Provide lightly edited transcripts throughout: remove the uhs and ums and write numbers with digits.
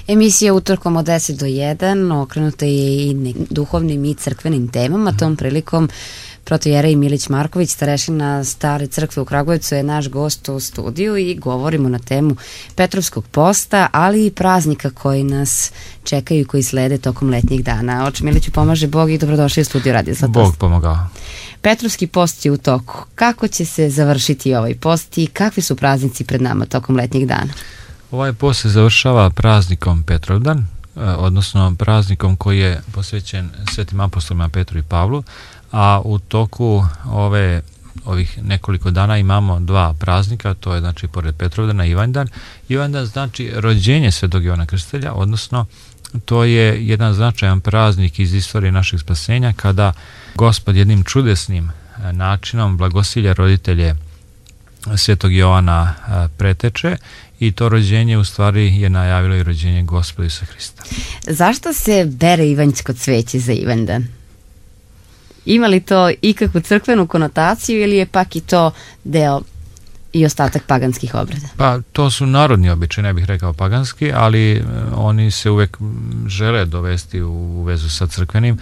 Emisija Utorkom od 10 do 1 okrenuta je i duhovnim i crkvenim temama. Tom prilikom protojerej Milić Marković, starešina Stare crkve u Kragujevcu, je naš gost u studiju i govorimo na temu Petrovskog posta, ali i praznika koji nas čekaju i koji slede tokom letnjih dana. Oče Miliću, pomaže Bog i dobrodošli u studiju Radio Zlatost. Bog pomogao. Petrovski post je u toku. Kako će se završiti ovaj post i kakvi su praznici pred nama tokom letnjih dana? Ovaj post se završava praznikom Petrovdan, odnosno praznikom koji je posvećen svetim apostolima Petru i Pavlu, a u toku ovih nekoliko dana imamo dva praznika, to je znači pored Petrovdana Ivanjdan. Ivanjdan znači rođenje svetog Jovana Krstitelja, odnosno to je jedan značajan praznik iz istorije našeg spasenja kada Gospod jednim čudesnim načinom blagosilja roditelje svetog Jovana preteče i to rođenje u stvari je najavilo i rođenje Gospoda Isusa Hrista. Zašto se bere ivanjsko cveće za Ivanjdan? Ima li to ikakvu crkvenu konotaciju ili je pak i to deo i ostatak paganskih obreda? Pa to su narodni običaji, ne bih rekao paganski, ali oni se uvek žele dovesti u vezu sa crkvenim.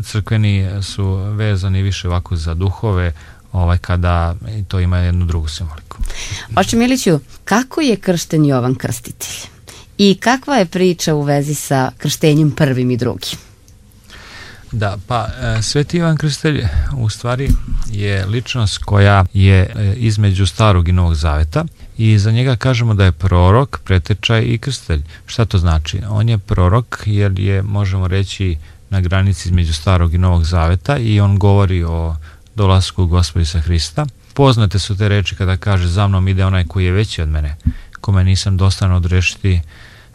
Crkveni su vezani više ovako za duhove, kada to ima jednu drugu simboliku. Oče Miliću, kako je kršten Jovan Krstitelj? I kakva je priča u vezi sa krštenjem prvim i drugim? Da, pa Sveti Ivan Krstitelj u stvari je ličnost koja je između Starog i Novog Zaveta i za njega kažemo da je prorok, pretečaj i krstitelj. Šta to znači? On je prorok jer je, možemo reći, na granici između Starog i Novog Zaveta i on govori o dolasku Gospoda Isusa Hrista. Poznate su te reči kada kaže: za mnom ide onaj koji je veći od mene, kome nisam dostan odrešiti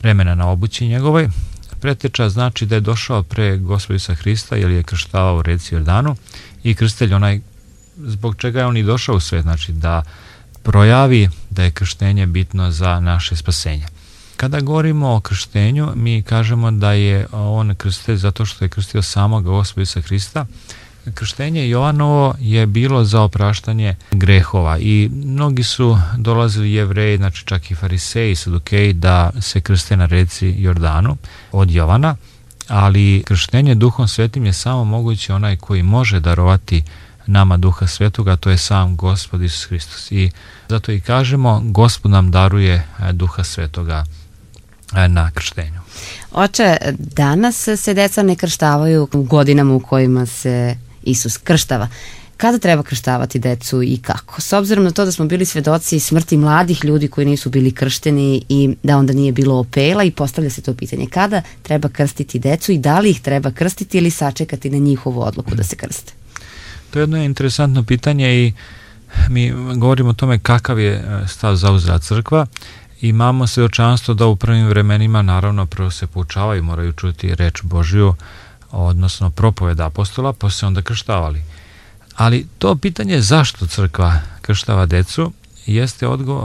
remena na obući njegovoj. Preteča znači da je došao pre Gospoda Isusa Hrista jer je krštavao u reci Jordanu, i krstitelj onaj zbog čega je on i došao u svet, znači da projavi da je krštenje bitno za naše spasenje. Kada govorimo o krštenju, mi kažemo da je on krstitelj zato što je krstio samog Gospoda Isusa Hrista. Krštenje Jovanovo je bilo za opraštanje grehova i mnogi su dolazili Jevreji, znači čak i fariseji, sadukeji, da se krste na reci Jordanu od Jovana, ali krštenje Duhom Svetim je samo moguće onaj koji može darovati nama Duha Svetoga, to je sam Gospod Isus Hristos. I zato i kažemo, Gospod nam daruje Duha Svetoga na krštenju. Oče, danas se deca ne krštavaju u godinama u kojima se Isus krštava. Kada treba krštavati decu i kako? S obzirom na to da smo bili svedoci smrti mladih ljudi koji nisu bili kršteni i da onda nije bilo opela, i postavlja se to pitanje: kada treba krstiti decu i da li ih treba krstiti ili sačekati na njihovu odluku da se krste? To je jedno interesantno pitanje i mi govorimo o tome kakav je stav zauzela crkva. Imamo svedočanstvo da u prvim vremenima naravno prvo se poučavaju, moraju čuti reč Božju, odnosno propoved apostola, pa se onda krštavali. Ali to pitanje zašto crkva krštava decu,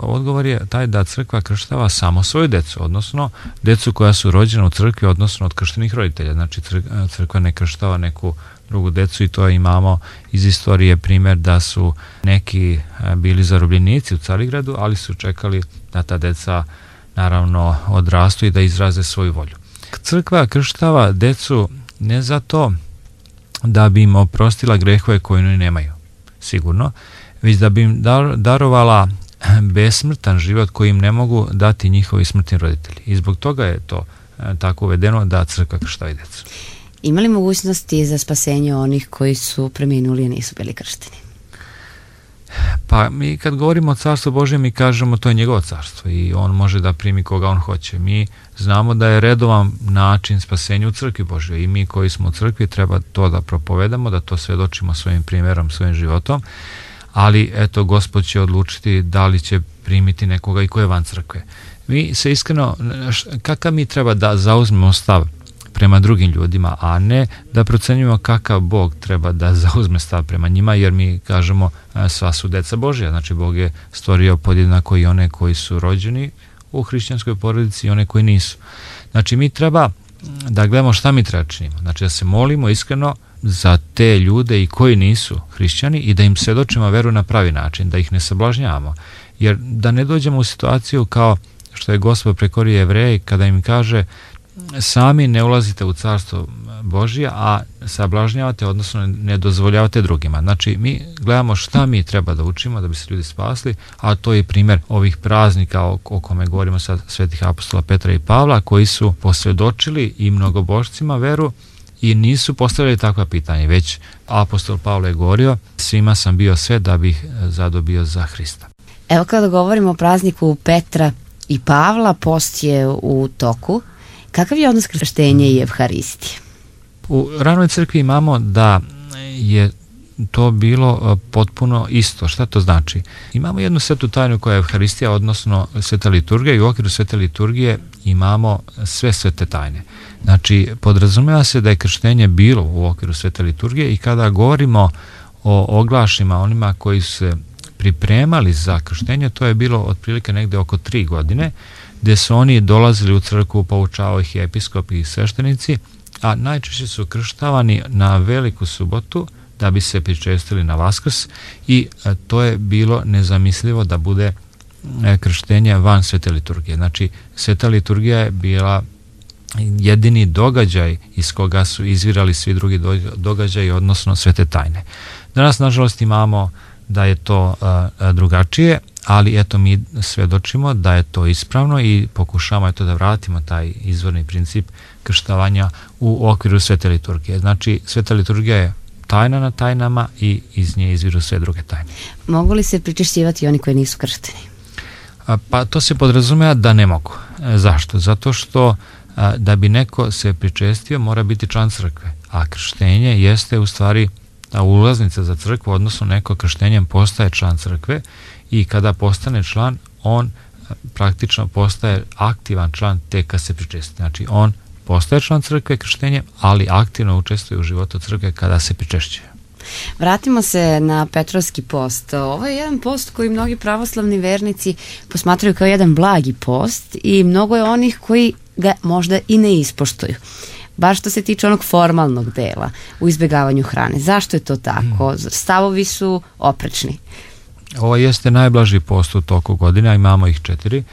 odgovor je taj da crkva krštava samo svoju decu, odnosno decu koja su rođena u crkvi, odnosno od krštenih roditelja. Znači crkva ne krštava neku drugu decu, i to imamo iz istorije primjer da su neki bili zarobljenici u Carigradu, ali su čekali da ta deca naravno odrastu i da izraze svoju volju. Crkva krštava decu ne zato da bi im oprostila grehove koje oni nemaju, sigurno, već da bi im darovala besmrtan život koji im ne mogu dati njihovi smrtni roditelji. I zbog toga je to tako uvedeno da crkva krštava decu. Ima li mogućnosti za spasenje onih koji su preminuli i nisu bili kršteni? Pa mi kad govorimo o Carstvu Božjem, mi kažemo to je njegovo carstvo i on može da primi koga on hoće. Mi znamo da je redovan način spasenja u crkvi Božjoj i mi koji smo u crkvi treba to da propovedamo, da to svedočimo svojim primjerom, svojim životom, ali eto, Gospod će odlučiti da li će primiti nekoga i ko je van crkve. Mi se iskreno, kakav mi treba da zauzmemo stav prema drugim ljudima, a ne da procenjujemo kakav Bog treba da zauzme stav prema njima, jer mi kažemo sva su deca Božja, znači Bog je stvorio podjednako i one koji su rođeni u hrišćanskoj porodici i one koji nisu. Znači mi treba da gledamo šta mi treba činimo, znači da se molimo iskreno za te ljude i koji nisu hrišćani i da im svedočimo veru na pravi način, da ih ne sablažnjavamo, jer da ne dođemo u situaciju kao što je Gospod prekorio Jevreje kada im kaže sami ne ulazite u carstvo Božje, a sablažnjavate, odnosno ne dozvoljavate drugima. Znači, mi gledamo šta mi treba da učimo da bi se ljudi spasli, a to je primjer ovih praznika o kome govorimo sad, svetih apostola Petra i Pavla, koji su posvjedočili i mnogobožcima veru i nisu postavili takva pitanja, već apostol Pavle je govorio, svima sam bio sve da bih zadobio za Hrista. Evo kada govorimo o prazniku Petra i Pavla, post je u toku. Kakav je odnos krštenja i Evharistije? U ranoj crkvi imamo da je to bilo potpuno isto. Šta to znači? Imamo jednu svetu tajnu koja je Evharistija, odnosno sveta liturgija, i u okviru svete liturgije imamo sve svete tajne. Znači, podrazumeva se da je krštenje bilo u okviru svete liturgije i kada govorimo o oglašima, onima koji su se pripremali za krštenje, to je bilo otprilike negde oko 3 godine, gdje su oni dolazili u crkvu, poučavao ih i episkopi i sveštenici, a najčešće su krštavani na Veliku subotu da bi se pričestili na Vaskrs i to je bilo nezamislivo da bude krštenje van svete liturgije. Znači, sveta liturgija je bila jedini događaj iz koga su izvirali svi drugi događaji, odnosno svete tajne. Danas, nažalost, imamo da je to drugačije, ali eto mi svedočimo da je to ispravno i pokušavamo eto da vratimo taj izvorni princip krštavanja u okviru svete liturgije. Znači, sveta liturgija je tajna na tajnama i iz nje izviru sve druge tajne. Mogu li se pričešćivati oni koji nisu kršteni? Pa to se podrazumeva da ne mogu. Zašto? Zato što da bi neko se pričestio mora biti član crkve, a krštenje jeste u stvari ulaznica za crkvu, odnosno neko krštenjem postaje član crkve i kada postane član, on praktično postaje aktivan član tek kad se pričesti. Znači, on postaje član crkve krštenjem, ali aktivno učestvuje u životu crkve kada se pričešćuje. Vratimo se na Petrovski post. Ovo je jedan post koji mnogi pravoslavni vernici posmatraju kao jedan blagi post i mnogo je onih koji ga možda i ne ispoštuju. Baš što se tiče onog formalnog dela u izbjegavanju hrane. Zašto je to tako? Stavovi su oprečni. Ovo jeste najblaži post u toku godina, imamo ih 4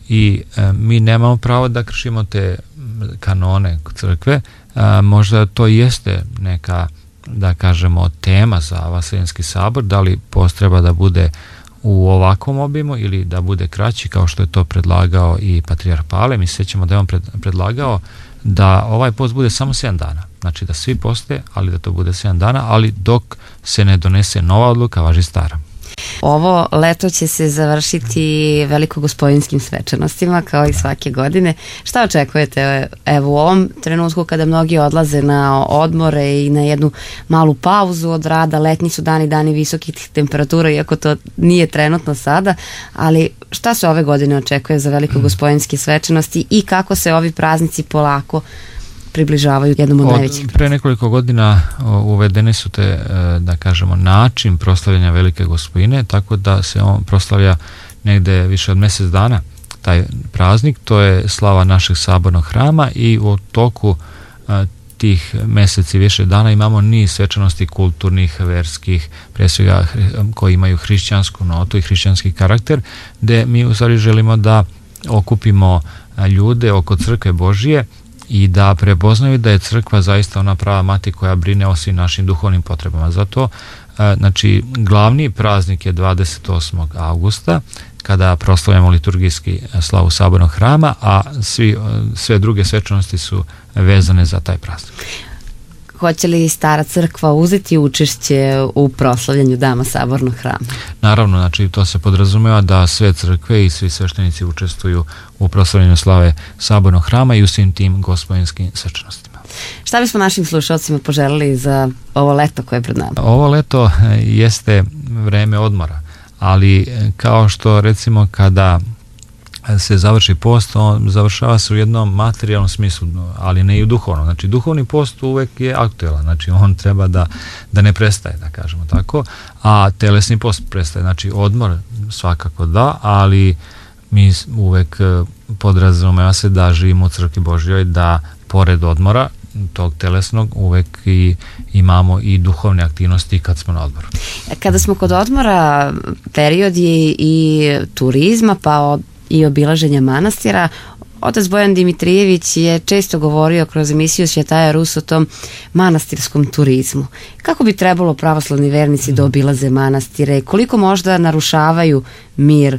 i mi nemamo pravo da kršimo te kanone crkve. Možda to jeste neka, da kažemo, tema za Vaseljenski sabor, da li post treba da bude u ovakvom obimu ili da bude kraći kao što je to predlagao i patrijarh Pavle. Mi se sjećamo da je on predlagao da ovaj post bude samo 7 dana. Znači da svi poste, ali da to bude 7 dana, ali dok se ne donese nova odluka, važi stara. Ovo leto će se završiti velikogospodinskim svečanostima kao i svake godine. Šta očekujete evo u ovom trenutku kada mnogi odlaze na odmore i na jednu malu pauzu od rada? Letnji su dani visokih temperatura, iako to nije trenutno sada, ali šta se ove godine očekuje za velikogospodinske svečanosti i kako se ovi praznici polako približavaju jednom od najvećih? Pre nekoliko godina uvedene su te, da kažemo, način proslavljanja Velike Gospodine, tako da se on proslavlja negde više od mjesec dana taj praznik. To je slava našeg sabornog hrama i u toku tih mjeseci više dana imamo niz svečanosti kulturnih, verskih, pre svega koji imaju hrišćansku notu i hrišćanski karakter, gde mi u stvari želimo da okupimo ljude oko crkve Božije i da prepoznaju da je crkva zaista ona prava mati koja brine o svim našim duhovnim potrebama. Zato, znači, glavni praznik je 28. augusta, kada proslavljamo liturgijski slavu sabornog hrama, a sve druge svečanosti su vezane za taj praznik. Hoće li Stara crkva uzeti učešće u proslavljanju dana sabornog hrama? Naravno, znači to se podrazumeva da sve crkve i svi sveštenici učestvuju u proslavljanju slave sabornog hrama i u svim tim gospodinskim svečanostima. Šta bismo našim slušalcima poželili za ovo leto koje je pred nama? Ovo leto jeste vreme odmora, ali kao što recimo kada se završi post, on završava se u jednom materijalnom smislu, ali ne i u duhovnom. Znači, duhovni post uvek je aktuelan, znači on treba da ne prestaje, da kažemo tako, a telesni post prestaje. Znači, odmor svakako da, ali mi uvek podrazumeva se da živimo u crkvi Božjoj, da pored odmora tog telesnog uvek i imamo i duhovne aktivnosti kad smo na odmoru. Kada smo kod odmora, period je i turizma, pa i obilaženja manastira. Otac Bojan Dimitrijević je često govorio kroz emisiju Svjetaja Rus o tom manastirskom turizmu. Kako bi trebalo pravoslavni vernici da obilaze manastire? Koliko možda narušavaju mir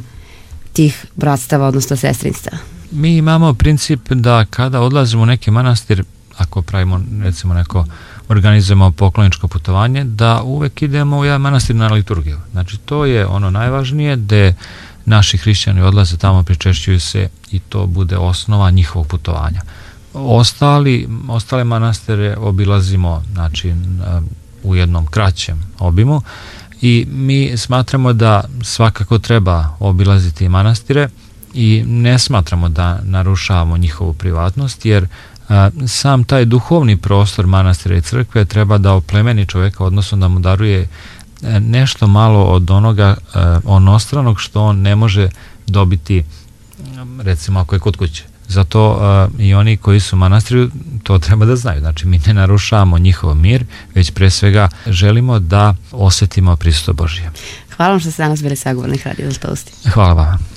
tih bratstava, odnosno sestrinstva? Mi imamo princip da kada odlazimo u neki manastir, ako pravimo recimo neko organizujemo pokloničko putovanje, da uvek idemo u jedan manastir na liturgiju. Znači to je ono najvažnije, gde naši hrišćani odlaze tamo, pričešćuju se i to bude osnova njihovog putovanja. Ostale manastire obilazimo, znači, u jednom kraćem obimu i mi smatramo da svakako treba obilaziti manastire i ne smatramo da narušavamo njihovu privatnost, jer sam taj duhovni prostor manastira i crkve treba da oplemeni čoveka, odnosno da mu daruje nešto malo od onoga onostranog što on ne može dobiti, recimo ako je kod kuće. Zato i oni koji su u manastiru to treba da znaju. Znači mi ne narušavamo njihov mir, već pre svega želimo da osetimo prisustvo Božije. Hvala vam što ste danas bili sagovornik Radio Zlatoustim. Hvala vam.